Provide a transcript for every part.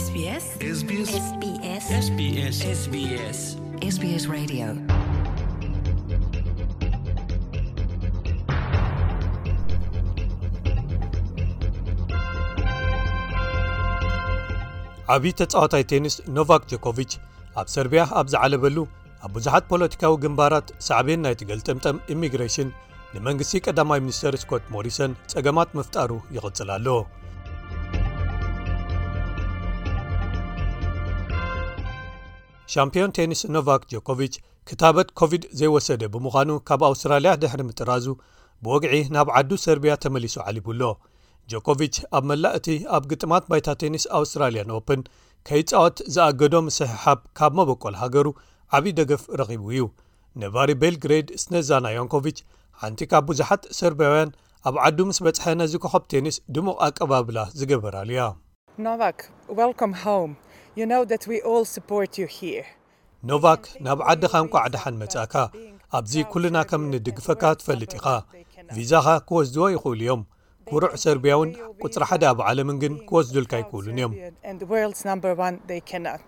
SBS SBS SBS SBS SBS SBS Radio. ዓብዪ ተጻዋታይ ቴኒስ ኖቫክ ጆኮቪች ኣብ ሰርቢያ ኣብ ዝዓለበሉ፣ ኣብ ብዙሓት ፖለቲካዊ ግንባራት ሳዕቤን ናይቲ ገልጠምጠም ኢሚግሬሽን ንመንግስቲ ቀዳማይ ሚኒስተር ስኮት ሞሪሰን ጸገማት ምፍጣሩ ይቕጽል ኣሎ። ሻምፒዮን ቴኒስ ኖቫክ ጆኮቪች ክታበት ኮቪድ ዘይወሰደ ብምዃኑ፣ ካብ ኣውስትራልያ ድሕሪ ምጥራዙ ብወግዒ ናብ ዓዱ ሰርቢያ ተመሊሱ ዓሊቡ ኣሎ። ጆኮቪች ኣብ መላእ እቲ ኣብ ግጥማት ባይታ ቴኒስ ኣውስትራልያን ኦፕን ከይጻወት ዝኣገዶ ምስሕሓብ ካብ መበቆል ሃገሩ ዓብዪ ደገፍ ረኺቡ እዩ። ነባሪ ቤልግሬድ ስነዛና ያንኮቪች፣ ሓንቲ ካብ ብዙሓት ሰርቢያውያን፣ ኣብ ዓዱ ምስ በጽሐ ነዚ ኮኸብ ቴኒስ ድሙቕ ኣቀባብላ ዝገበራሉ እያ። Novak, welcome home. You know that we all support you here. ኖቫክ፣ ናብ ዓድኻ እንኳዕ ደሓን መጻእካ። ኣብዚ ኩልና ከም ንድግፈካ ትፈልጥ ኢኻ። ቪዛኻ ክወስድዎ ይኽእሉ እዮም። ኩሩዕ ሰርቢያውን ቁጽሪ ሓደ ኣብ ዓለምን ግን ክወስዱልካ ኣይክእሉን እዮም። And the world's number one, they cannot.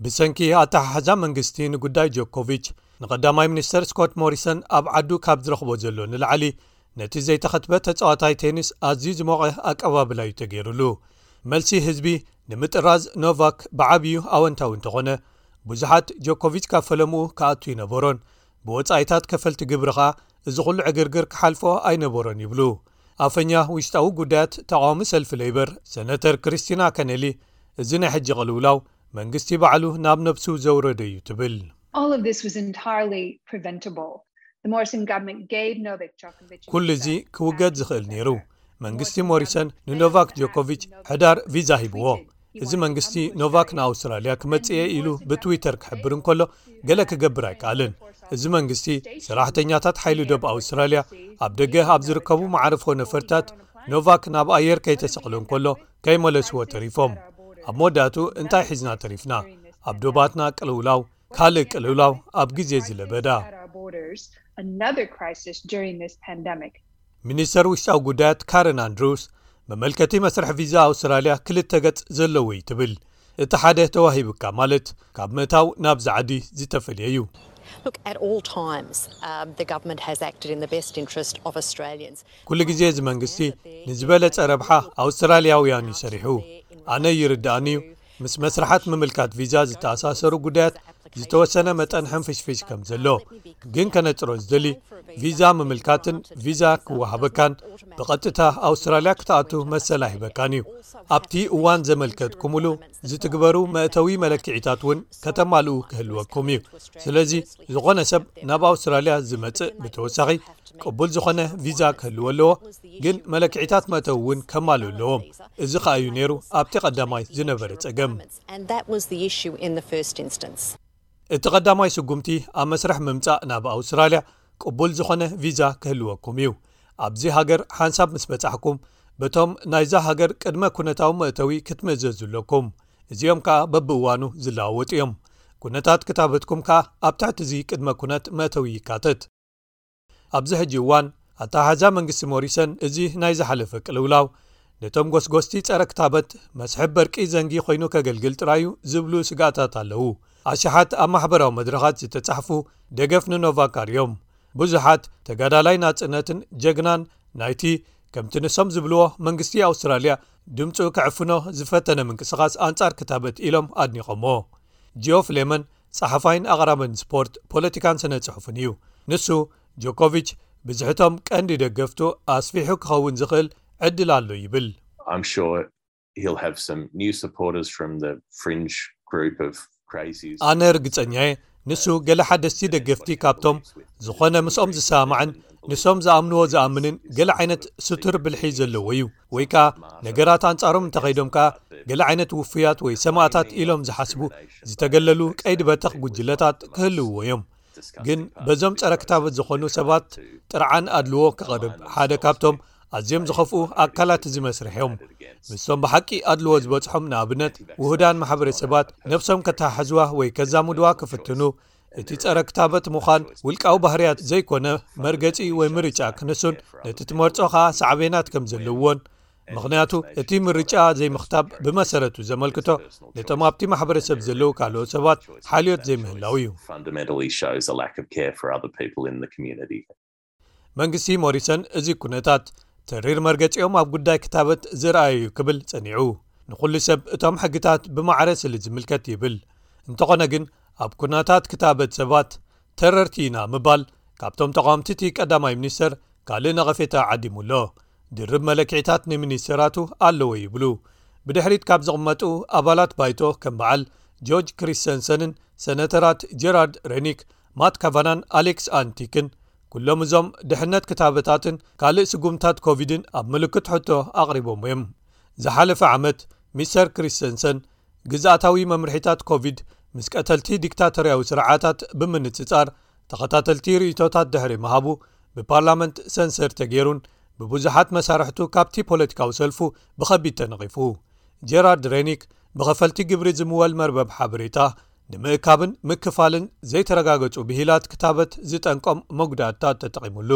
ብሰንኪ ኣተሓሕዛ መንግስቲ ንጉዳይ ጆኮቪች፣ ንቐዳማይ ሚኒስተር ስኮት ሞሪሰን ኣብ ዓዱ ካብ ዝረኽቦ ዘሎ ንላዕሊ፣ ነቲ ዘይተኸትበ ተጻዋታይ ቴኒስ ኣዝዩ ዝሞቐ ኣቀባብላ እዩ ተገይሩሉ። መልሲ ህዝቢ ንምጥራዝ ኖቫክ ብዓብዩ ኣወንታዊ እንተኾነ፣ ብዙሓት ጆኮቪች ካብ ፈለምኡ ክኣቱ ይነበሮን ብወጻኢታት ከፈልቲ ግብሪ ኸኣ እዚ ኩሉ ዕግርግር ክሓልፎ ኣይነበሮን ይብሉ። ኣፈኛ ውሽጣዊ ጉዳያት ተቓዋሚ ሰልፊ ሌበር ሰነተር ክሪስቲና ከነሊ፣ እዚ ናይ ሕጂ ቅልውላው መንግስቲ ባዕሉ ናብ ነብሱ ዘውረዶ እዩ ትብል። All of this was entirely preventable. The Morrison government gave Novak Djokovic ኩሉ እዚ ክውገድ ዝኽእል ነይሩ። መንግስቲ ሞሪሰን ንኖቫክ ጆኮቪች ሕዳር ቪዛ ሂብዎ። እዚ መንግስቲ ኖቫክ ንኣውስትራልያ ክመጽእ እየ ኢሉ ብትዊተር ክሕብር እንከሎ፣ ገለ ክገብር ኣይከኣልን። እዚ መንግስቲ ሰራሕተኛታት ሓይሊ ዶብ ኣውስትራልያ ኣብ ደገ ኣብ ዝርከቡ መዓርፎ ነፈርታት ኖቫክ ናብ ኣየር ከይተሰቕሎ እንከሎ ከይመለስዎ ተሪፎም። ኣብ መወዳእቱ እንታይ ሒዝና ተሪፍና? ኣብ ዶባትና ቅልውላው፣ ካልእ ቅልውላው ኣብ ግዜ ዝለበዳ። At our borders, another crisis during this pandemic. ሚኒስተር ውሽጣዊ ጉዳያት ካረን ኣንድሩስ፣ መመልከቲ መስርሕ ቪዛ ኣውስትራልያ ክልተ ገጽ ዘለዎ እዩ ትብል። እቲ ሓደ ተዋሂቡካ ማለት ካብ ምእታው ናብዚ ዓዲ ዝተፈልየ እዩ። Look, at all times, um, the government has acted in the best interest of Australians. ኩሉ ግዜ እዚ መንግስቲ ንዝበለጸ ረብሓ ኣውስትራልያውያን እዩ ሰሪሑ። ኣነ ይርድኣኒ እዩ፣ ምስ መስርሓት ምምልካት ቪዛ ዝተኣሳሰሩ ጉዳያት ዝተወሰነ መጠን ሕንፍሽፍሽ ከም ዘሎ። ግን ከነጽሮ ዝደሊ፣ ቪዛ ምምልካትን ቪዛ ክወሃበካን ብቐጥታ ኣውስትራልያ ክትኣቱ መሰል ኣይህበካን እዩ። ኣብቲ እዋን ዘመልከትኩምሉ ዝትግበሩ መእተዊ መለክዒታት እውን ከተማልኡ ክህልወኩም እዩ። ስለዚ ዝኾነ ሰብ ናብ ኣውስትራልያ ዝመጽእ ብተወሳኺ ቅቡል ዝኾነ ቪዛ ክህልዎ ኣለዎ። ግን መለክዒታት መእተዊ እውን ከማልኡ ኣለዎም። እዚ ኸኣ እዩ ነይሩ ኣብቲ ቀዳማይ ዝነበረ ጸገም። And that was the issue in the first instance. እቲ ቀዳማይ ስጉምቲ ኣብ መስርሕ ምምጻእ ናብ ኣውስትራልያ ቅቡል ዝኾነ ቪዛ ክህልወኩም እዩ። ኣብዚ ሃገር ሓንሳብ ምስ በጻሕኩም፣ በቶም ናይዛ ሃገር ቅድመ ኩነታዊ መእተዊ ክትምእዘዙ ኣለኩም። እዚኦም ከኣ በብእዋኑ ዝለዋወጡ እዮም። ኩነታት ክታበትኩም ከኣ ኣብ ትሕቲ እዚ ቅድመ ኩነት መእተዊ ይካተት። ኣብዚ ሕጂ እዋን፣ ኣተሓሕዛ መንግስቲ ሞሪሰን እዚ ናይ ዝሓለፈ ቅልውላው ነቶም ጎስጎስቲ ጸረ ክታበት መስሕብ በርቂ ዘንጊ ኮይኑ ከገልግል ጥራዩ ዝብሉ ስግኣታት ኣለዉ። ኣሽሓት ኣብ ማሕበራዊ መድረኻት ዝተጻሕፉ ደገፍ ንኖቫክ ኣርእዮም። ብዙሓት ተጋዳላይ ናጽነትን ጀግናን ናይቲ፣ ከምቲ ንሶም ዝብልዎ፣ መንግስቲ ኣውስትራልያ ድምጹ ክዕፍኖ ዝፈተነ ምንቅስቓስ ኣንጻር ክታበት ኢሎም ኣድኒቖሞ። ጂኦፍ ሌመን ጸሓፋይን ኣቕራብን ስፖርት፣ ፖለቲካን ስነ ጽሑፍን እዩ። ንሱ፣ ጆኮቪች ብዝሕቶም ቀንዲ ደገፍቱ ኣስፊሑ ክኸውን ዝኽእል ዕድል ኣሎ ይብል። I'm sure he'll have some new supporters from the fringe group of crazies. ኣነ ርግጸኛየ፣ ንሱ ገለ ሓደስቲ ደገፍቲ ካብቶም ዝኾነ ምስኦም ዝሰማማዕን ንሶም ዝኣምንዎ ዝኣምንን ገለ ዓይነት ስቱር ብልሒ ዘለዎ እዩ። ወይ ከኣ ነገራት ኣንጻሮም እንተኸይዶም ከኣ ገለ ዓይነት ውፉያት ወይ ሰማእታት ኢሎም ዝሓስቡ ዝተገለሉ ቀይዲ በተኽ ጉጅለታት ክህልውዎ እዮም። ግን በዞም ጸረ ክታበት ዝኾኑ ሰባት ጥርዓን ኣድልዎ ክቐርብ ሓደ ካብቶም ኣዝዮም ዝኸፍኡ ኣካላት እዚ መስርሕ እዮም። ምስቶም ብሓቂ ኣድልዎ ዝበጽሖም፣ ንኣብነት ውሁዳን ማሕበረሰባት፣ ነብሶም ከተሓሕዝዋ ወይ ከዛምድዋ ክፍትኑ፣ እቲ ጸረ ክታበት ምዃን ውልቃዊ ባህርያት ዘይኮነ መርገጺ ወይ ምርጫ ክነሱን ነቲ ትመርጾ ኸኣ ሳዕቤናት ከም ዘለዎን ምኽንያቱ እቲ ምርጫ ዘይምኽታብ ብመሰረቱ ዘመልክቶ ነቶም ኣብቲ ማሕበረሰብ ዘለዉ ካልኦት ሰባት ሓልዮት ዘይምህላው እዩ። Fundamentally shows a lack of care for other people in the community. መንግስቲ ሞሪሰን እዚ ኩነታት ተሪር መርገፂኦም ኣብ ጉዳይ ክታበት ዝረኣዩ ክብል ጸኒዑ። ንኹሉ ሰብ እቶም ሕግታት ብማዕረ ስለ ዝምልከት ይብል። እንተኾነ ግን ኣብ ኩነታት ክታበት ሰባት ተረርቲ ኢና ምባል ካብቶም ተቃወምቲ እቲ ቀዳማይ ሚኒስተር ካልእ ነቐፌታ ዓዲሙ ኣሎ። ድርብ መለክዒታት ንሚኒስተራቱ ኣለዎ ይብሉ። ብድሕሪት ካብ ዝቕመጡ ኣባላት ባይቶ ከም በዓል ጆርጅ ክሪስተንሰንን ሰነተራት ጀራርድ ሬኒክ፣ ማት ካቫናን ኣሌክስ ኣንቲክን ኩሎም እዞም ድሕነት ክታበታትን ካልእ ስጉምታት ኮቪድን ኣብ ምልክት ሕቶ ኣቕሪቦም እዮም። ዝሓለፈ ዓመት ሚስተር ክሪስተንሰን ግዝኣታዊ መምርሒታት ኮቪድ ምስ ቀተልቲ ዲክታቶርያዊ ስርዓታት ብምንጽጻር ተኸታተልቲ ርእይቶታት ድሕሪ ምሃቡ ብፓርላመንት ሰንሰር ተገይሩን ብብዙሓት መሳርሕቱ ካብቲ ፖለቲካዊ ሰልፉ ብኸቢድ ተነቒፉ። ጀራርድ ሬኒክ ብኸፈልቲ ግብሪ ዝምወል መርበብ ሓበሬታ ንምእካብን ምክፋልን ዘይተረጋገጹ ብሂላት ክታበት ዝጠንቆም መጉዳእታት ተጠቒሙሉ።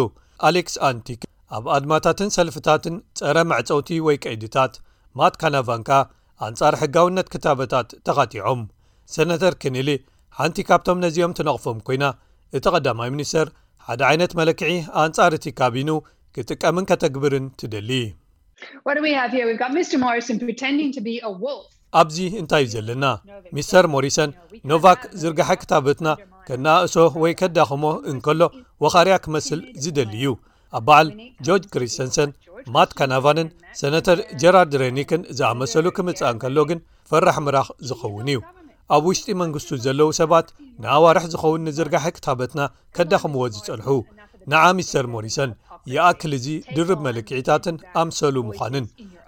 ኣሌክስ ኣንቲክ ኣብ ኣድማታትን ሰልፍታትን ጸረ መዕጸውቲ ወይ ቀይድታት፣ ማት ካናቫንካ ኣንጻር ሕጋውነት ክታበታት ተኻቲዖም። ሰነተር ኬኔሊ ሓንቲ ካብቶም ነዚኦም ትነቕፎም ኮይና፣ እቲ ቀዳማይ ሚኒስተር ሓደ ዓይነት መለክዒ ኣንጻር እቲ ካቢኑ ክጥቀምን ከተግብርን ትደሊ። What do we have here? We've got Mr. Morrison pretending to be a wolf. ኣብዚ እንታይ እዩ ዘለና? ሚስተር ሞሪሰን ኖቫክ ዝርጋሐ ክታበትና ከናእሶ ወይ ከዳኽሞ እንከሎ ወኻርያ ክመስል ዝደሊ እዩ። ኣብ በዓል ጆርጅ ክሪስተንሰን፣ ማት ካናቫንን ሰነተር ጀራርድ ሬኒክን ዝኣመሰሉ ክምጻእ እንከሎ ግን ፈራሕ ምራኽ ዝኸውን እዩ። ኣብ ውሽጢ መንግስቱ ዘለዉ ሰባት ንኣዋርሕ ዝኸውን ንዝርጋሐ ክታበትና ከዳኽምዎ ዝጸንሑ፣ ንዓ ሚስተር ሞሪሰን ይኣክል እዚ ድርብ መለክዒታትን ኣምሰሉ ምዃንን።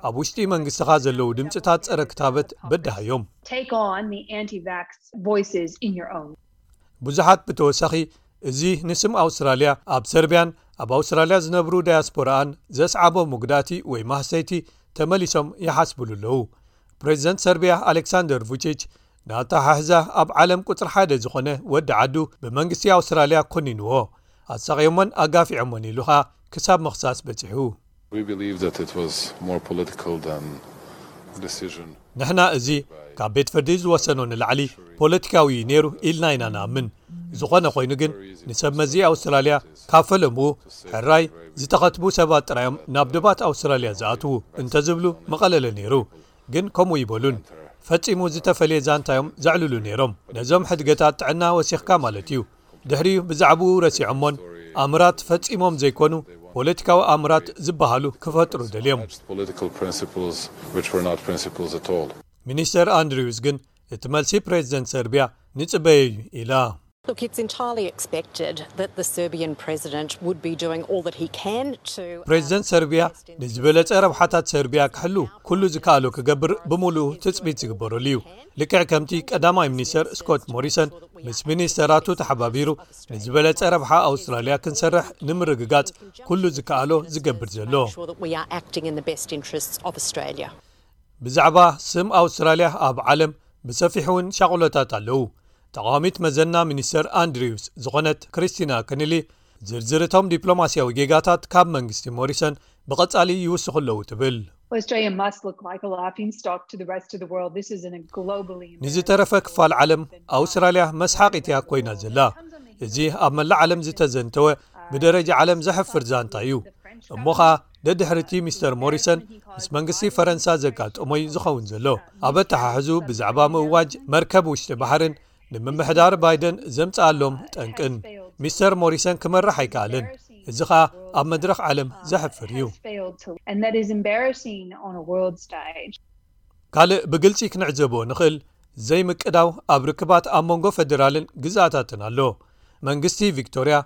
ኣብ ውሽጢ መንግስትኻ ዘለዉ ድምፅታት ጸረ ክታበት በዳሃዮም። Take on the anti-vax voices in your own. ብዙሓት ብተወሳኺ እዚ ንስም ኣውስትራልያ ኣብ ሰርቢያን ኣብ ኣውስትራልያ ዝነብሩ ዳያስፖራኣን ዘስዓቦ መጉዳእቲ ወይ ማህሰይቲ ተመሊሶም ይሓስብሉ ኣለዉ። ፕሬዚደንት ሰርቢያ ኣሌክሳንደር ቡቺች ንኣተሓሕዛ ኣብ ዓለም ቁፅሪ ሓደ ዝኾነ ወዲ ዓዱ ብመንግስቲ ኣውስትራልያ ኮኒንዎ። ኣሳቕዮሞን ኣጋፊዖሞን ኢሉ ኸኣ ክሳብ ምኽሳስ በፂሑ። We believe that it was more political than decision. ንሕና እዚ ካብ ቤት ፍርዲ ዝወሰኖ ንላዕሊ ፖለቲካዊ እዩ ነይሩ ኢልና ኢና ንኣምን። ዝኾነ ኮይኑ ግን ንሰብ መዚ ኣውስትራልያ ካብ ፈለምኡ ሕራይ ዝተኸትቡ ሰባት ጥራዮም ናብ ደባት ኣውስትራልያ ዝኣትዉ እንተዝብሉ መቐለለ ነይሩ። ግን ከምኡ ይበሉን ፈጺሙ ዝተፈልየ ዛንታ እዮም ዘዕልሉ ነይሮም። ነዞም ሕድገታት ጥዕና ወሲኽካ ማለት እዩ። ድሕሪኡ ብዛዕባኡ ረሲዖሞን ኣምራት ፈጺሞም ዘይኮኑ ፖለቲካዊ ኣምራት ዝበሃሉ ክፈጥሩ ደልዮም። Political principles which were not principles at all. ሚኒስተር ኣንድሪውስ ግን እቲ መልሲ ፕሬዚደንት ሰርቢያ ንጽበዮ እዩ ኢላ። Look, it's entirely expected that the Serbian president would be doing all that he can to. ፕሬዚደንት ሰርቢያ ንዝበለጸ ረብሓታት ሰርቢያ ክሕሉ ኩሉ ዝከኣሎ ክገብር ብምሉኡ ትጽቢት ዝግበረሉ እዩ። ልክዕ ከምቲ ቀዳማይ ሚኒስተር ስኮት ሞሪሰን ምስ ሚኒስተራቱ ተሓባቢሩ ንዝበለጸ ረብሓ ኣውስትራልያ ክንሰርሕ ንምርግጋጽ ኩሉ ዝከኣሎ ዝገብር ዘሎ። Sure that we are acting in the best interests of Australia. ብዛዕባ ስም ኣውስትራልያ ኣብ ዓለም ብሰፊሑ እውን ሻቕሎታት ኣለዉ። ተቓዋሚት መዘና ሚኒስተር ኣንድሪውስ ዝኾነት ክሪስቲና ከኒሊ ዝርዝር እቶም ዲፕሎማስያዊ ጌጋታት ካብ መንግስቲ ሞሪሰን ብቐጻሊ ይውስኹ ኣለዉ ትብል። Australia must look like a laughing stock to the rest of the world. This is a globally ንዝተረፈ ክፋል ዓለም ኣውስትራልያ መስሓቒት እያ ኮይና ዘላ። እዚ ኣብ መላእ ዓለም ዝተዘንተወ ብደረጃ ዓለም ዘሕፍር ዛንታ እዩ። እሞ ኸኣ ደድሕርቲ ሚስተር ሞሪሰን ምስ መንግስቲ ፈረንሳ ዘጋጠሞይ ዝኸውን ዘሎ ኣብ ኣተሓሕዙ ብዛዕባ ምእዋጅ መርከብ ውሽጢ ባሕርን ንምምሕዳር ባይደን ዘምጽኣሎም ጠንቅን። ሚስተር ሞሪሰን ክመርሕ ኣይከኣልን። እዚ ኸኣ ኣብ መድረኽ ዓለም ዘሕፍር እዩ። And that is embarrassing on a world stage. ካልእ ብግልጺ ክንዕዘቦ ንኽእል ዘይምቅዳው ኣብ ርክባት ኣብ መንጎ ፈደራልን ግዝኣታትን ኣሎ። መንግስቲ ቪክቶርያ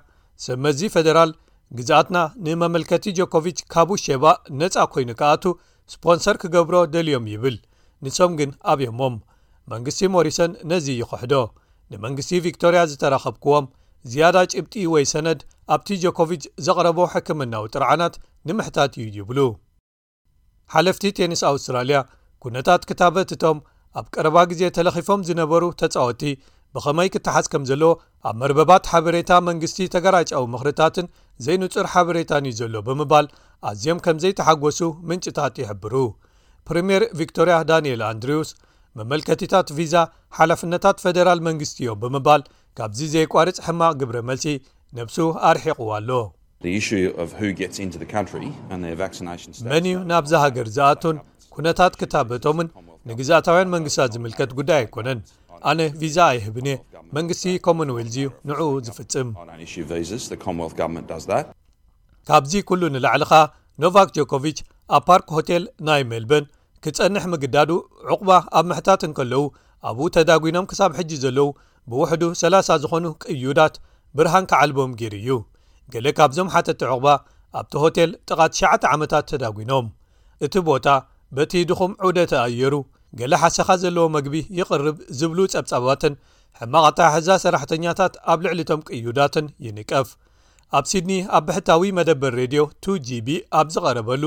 ሰብ መዚ ፈደራል ግዝኣትና ንመመልከቲ ጆኮቪች ካብ ውሸባ ነጻ ኮይኑ ክኣቱ ስፖንሰር ክገብሮ ደልዮም ይብል። ንሶም ግን ኣብዮሞም። መንግስቲ ሞሪሰን ነዚ ይኽሕዶ። ንመንግስቲ ቪክቶርያ ዝተረኸብክዎም ዝያዳ ጭብጢ ወይ ሰነድ ኣብቲ ጆኮቪች ዘቕረቦ ሕክምናዊ ጥርዓናት ንምሕታት እዩ ይብሉ። ሓለፍቲ ቴኒስ ኣውስትራልያ ኩነታት ክታበት እቶም ኣብ ቀረባ ግዜ ተለኺፎም ዝነበሩ ተጻወቲ ብኸመይ ክተሓዝ ከም ዘለዎ ኣብ መርበባት ሓበሬታ መንግስቲ ተገራጫዊ ምኽርታትን ዘይንጹር ሓበሬታን እዩ ዘሎ ብምባል ኣዝዮም ከም ዘይተሓጎሱ ምንጭታት ይሕብሩ። ፕሪምየር ቪክቶርያ ዳንኤል ኣንድሪውስ መመልከቲታት ቪዛ ሓላፍነታት ፈደራል መንግስቲ እዮም ብምባል ካብዚ ዘየቋርጽ ሕማቕ ግብረ መልሲ ነብሱ ኣርሒቕዋ ኣሎ። The issue of who gets into the country and their vaccination status. መን እዩ ናብዛ ሃገር ዝኣቱን ኩነታት ክታበቶምን ንግዝኣታውያን መንግስታት ዝምልከት ጉዳይ ኣይኮነን። ኣነ ቪዛ ኣይህብን እየ። መንግስቲ ኮመንዌልዝ እዩ ንዕኡ ዝፍጽም። I don't issue visas, the Commonwealth Government does that. ካብዚ ኩሉ ንላዕሊ ኸኣ ኖቫክ ጆኮቪች ኣብ ፓርክ ሆቴል ናይ ሜልበርን ክጸንሕ ምግዳዱ ዕቑባ ኣብ ምሕታት እንከለዉ ኣብኡ ተዳጒኖም ክሳብ ሕጂ ዘለዉ ብውሕዱ ሰላሳ ዝኾኑ ቅዩዳት ብርሃን ክዓልቦም ገይሩ እዩ። ገለ ካብዞም ሓተቲ ዕቑባ ኣብቲ ሆቴል ጥቓ ትሽዓተ ዓመታት ተዳጒኖም። እቲ ቦታ በቲ ድኹም ዑደት ኣየሩ ገለ ሓሰኻ ዘለዎ መግቢ ይቕርብ ዝብሉ ጸብጻባትን ሕማቕ ኣተሓሕዛ ሰራሕተኛታት ኣብ ልዕሊ እቶም ቅዩዳትን ይንቀፍ። ኣብ ሲድኒ ኣብ ብሕታዊ መደበር ሬድዮ ቱ ጂ ቢ ኣብ ዝቐረበሉ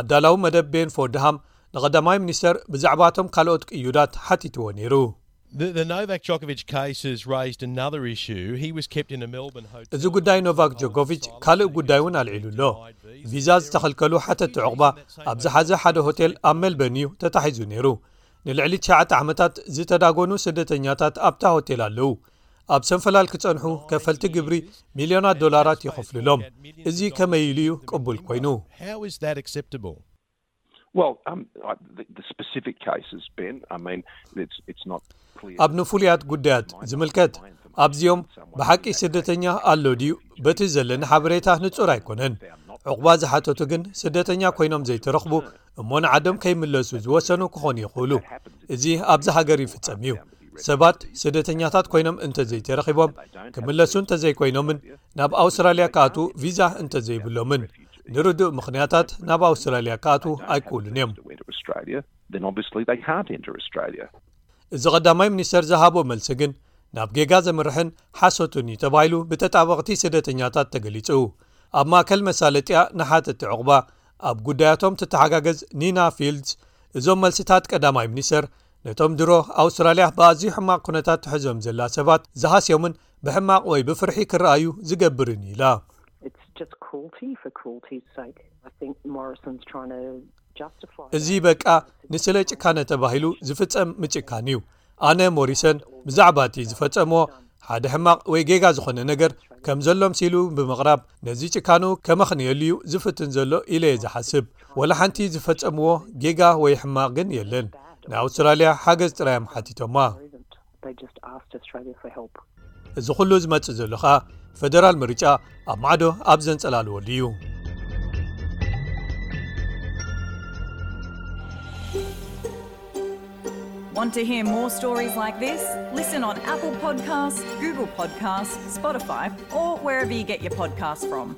ኣዳላዊ መደብ ቤን ፎርድሃም ንቐዳማይ ሚኒስተር ብዛዕባ እቶም ካልኦት ቅዩዳት ሓቲትዎ ነይሩ። The, the Novak Djokovic case has raised another issue. He was kept in a Melbourne hotel. እዚ ጉዳይ ኖቫክ ጆኮቪች ካልእ ጉዳይ እውን ኣልዒሉ ኣሎ። ቪዛ ዝተኸልከሉ ሓተቲ ዕቑባ ኣብ ዝሓዘ ሓደ ሆቴል ኣብ ሜልበርን እዩ ተታሒዙ ነይሩ። ንልዕሊ ትሽዓተ ዓመታት ዝተዳጎኑ ስደተኛታት ኣብታ ሆቴል ኣለዉ። ኣብ ሰንፈላል ክጸንሑ ከፈልቲ ግብሪ ሚልዮናት ዶላራት ይኸፍሉሎም። እዚ ከመይ ኢሉ እዩ ቅቡል ኮይኑ? How is that acceptable? Well, um, I- the, the specific cases, Ben. I mean, it's it's not clear. ኣብ ንፍሉያት ጉዳያት ዝምልከት ኣብዚኦም ብሓቂ ስደተኛ ኣሎ ድዩ? በቲ ዘለኒ ሓበሬታ ንጹር ኣይኮነን። ዕቑባ ዝሓተቱ ግን ስደተኛ ኮይኖም ዘይተረኽቡ እሞ ንዓዶም ከይምለሱ ዝወሰኑ ክኾኑ ይኽእሉ። እዚ ኣብዚ ሃገር ይፍጸም እዩ። ሰባት ስደተኛታት ኮይኖም እንተዘይተረኺቦም ክምለሱ እንተዘይኮይኖምን ናብ ኣውስትራልያ ክኣትዉ ቪዛ እንተዘይብሎምን ንርዱእ ምኽንያታት ናብ ኣውስትራልያ ክኣትዉ ኣይክእሉን እዮም። Went to Australia, then obviously they can't enter Australia. እዚ ቀዳማይ ሚኒስተር ዝሃቦ መልሲ ግን ናብ ጌጋ ዘምርሕን ሓሶትን እዩ ተባሂሉ ብተጣበቕቲ ስደተኛታት ተገሊጹ። ኣብ ማእከል መሳለጥያ ንሓተቲ ዕቑባ ኣብ ጉዳያቶም ትተሓጋገዝ ኒና ፊልድስ እዞም መልስታት ቀዳማይ ሚኒስተር ነቶም ድሮ ኣውስትራልያ ብኣዝዩ ሕማቕ ኩነታት ትሕዞም ዘላ ሰባት ዝሃስዮምን ብሕማቕ ወይ ብፍርሒ ክረኣዩ ዝገብርን እዩ ኢላ። It's just cruelty for cruelty's sake. I think Morrison's trying to justify. እዚ that. በቃ ንስለ ጭካነ ተባሂሉ ዝፍጸም ምጭካን እዩ። ኣነ ሞሪሰን ብዛዕባ እቲ ዝፈጸምዎ ሓደ ሕማቕ ወይ ጌጋ ዝኾነ ነገር ከም ዘሎ ምሲሉ ብምቕራብ ነዚ ጭካኑ ከመኽንየሉ እዩ ዝፍትን ዘሎ ኢለ እየ ዝሓስብ። ወላ ሓንቲ ዝፈጸምዎ ጌጋ ወይ ሕማቕ ግን የለን። ንኣውስትራልያ ሓገዝ ጥራይ እዮም ሓቲቶማ። They just asked Australia for help. እዚ ኩሉ ዝመጽእ ዘሎ ኸኣ ፈደራል ምርጫ ኣብ ማዕዶ ኣብ ዘንጸላልወሉ እዩ። Want to hear more stories like this? Listen on Apple Podcasts, Google Podcasts, Spotify, or wherever you get your podcasts from.